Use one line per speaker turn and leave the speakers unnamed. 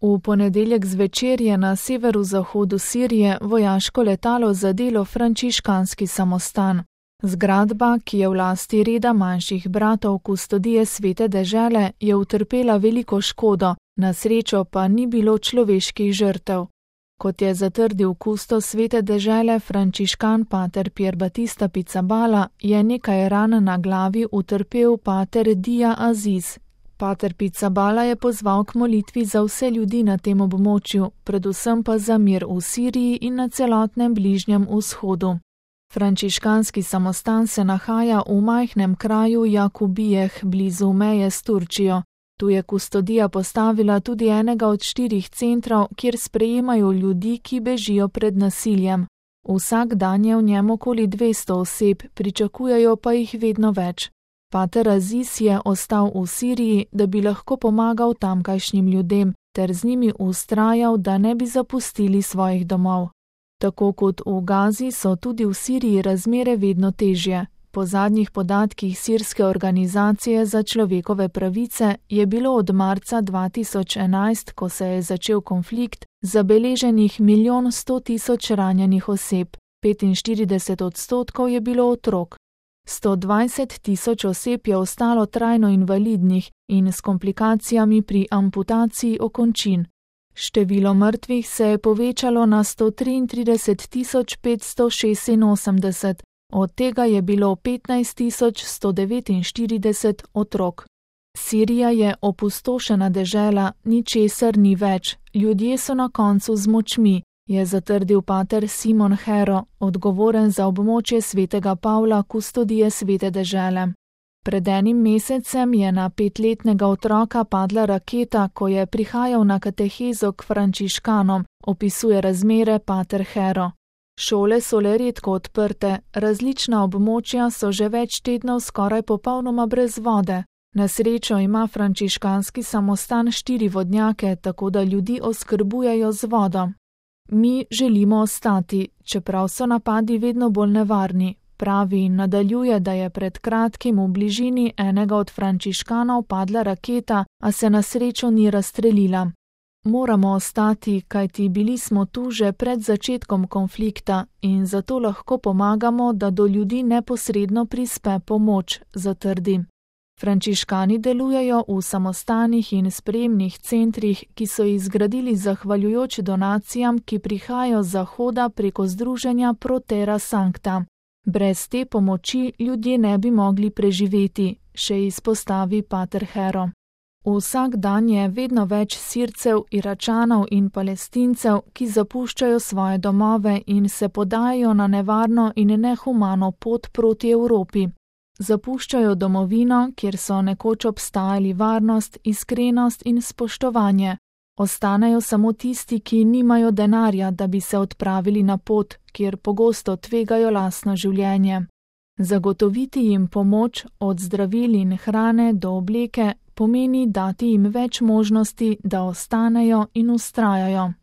V ponedeljek zvečer je na severozahodu Sirije vojaško letalo zadelo frančiškanski samostan. Zgradba, ki je v lasti reda manjših bratov Kustodije svete dežele, je utrpela veliko škodo, na srečo pa ni bilo človeških žrtev. Kot je zatrdil kustos svete dežele frančiškan pater Pier Battista Pizzaballa, je nekaj ran na glavi utrpel pater Dia Aziz. Pater Pizzaballa je pozval k molitvi za vse ljudi na tem območju, predvsem pa za mir v Siriji in na celotnem Bližnjem vzhodu. Frančiškanski samostan se nahaja v majhnem kraju Jakubijeh blizu meje s Turčijo. Tu je kustodija postavila tudi enega od 4 centrov, kjer sprejemajo ljudi, ki bežijo pred nasiljem. Vsak dan je v njem okoli 200 oseb, pričakujejo pa jih vedno več. Pater Aziz je ostal v Siriji, da bi lahko pomagal tamkajšnjim ljudem, ter z njimi vztrajal, da ne bi zapustili svojih domov. Tako kot v Gazi so tudi v Siriji razmere vedno težje. Po zadnjih podatkih sirske organizacije za človekove pravice je bilo od marca 2011, ko se je začel konflikt, zabeleženih 1 100 000 ranjenih oseb, 45% je bilo otrok. 120 000 oseb je ostalo trajno invalidnih in s komplikacijami pri amputaciji okončin. Število mrtvih se je povečalo na 133 586, od tega je bilo 15 149 otrok. Sirija je opustošena dežela, ničesar ni več, ljudje so na koncu z močmi, je zatrdil pater Simon Hero, odgovoren za območje svetega Pavla Kustodije svete dežele. Pred enim mesecem je na 5-letnega otroka padla raketa, ko je prihajal na katehezo k frančiškanom, opisuje razmere pater Hero. Šole so le redko odprte, različna območja so že več tednov skoraj popolnoma brez vode. Na srečo ima frančiškanski samostan 4 vodnjake, tako da ljudi oskrbujejo z vodo. Mi želimo ostati, čeprav so napadi vedno bolj nevarni. Pravi in nadaljuje, da je pred kratkim v bližini enega od frančiškanov padla raketa, a se na srečo ni razstrelila. Moramo ostati, kajti bili smo tu že pred začetkom konflikta in zato lahko pomagamo, da do ljudi neposredno prispe pomoč, zatrdi. Frančiškani delujejo v samostanih in sprejemnih centrih, ki so jih zgradili zahvaljujoč donacijam, ki prihajajo z zahoda preko združenja Pro Terra Sancta. Brez te pomoči ljudje ne bi mogli preživeti, še izpostavi pater Hero. Vsak dan je vedno več Sircev, Iračanov in Palestincev, ki zapuščajo svoje domove in se podajajo na nevarno in nehumano pot proti Evropi. Zapuščajo domovino, kjer so nekoč obstajali varnost, iskrenost in spoštovanje. Ostanejo samo tisti, ki nimajo denarja, da bi se odpravili na pot, kjer pogosto tvegajo lastno življenje. Zagotoviti jim pomoč od zdravil in hrane do obleke pomeni dati jim več možnosti, da ostanejo in vztrajajo.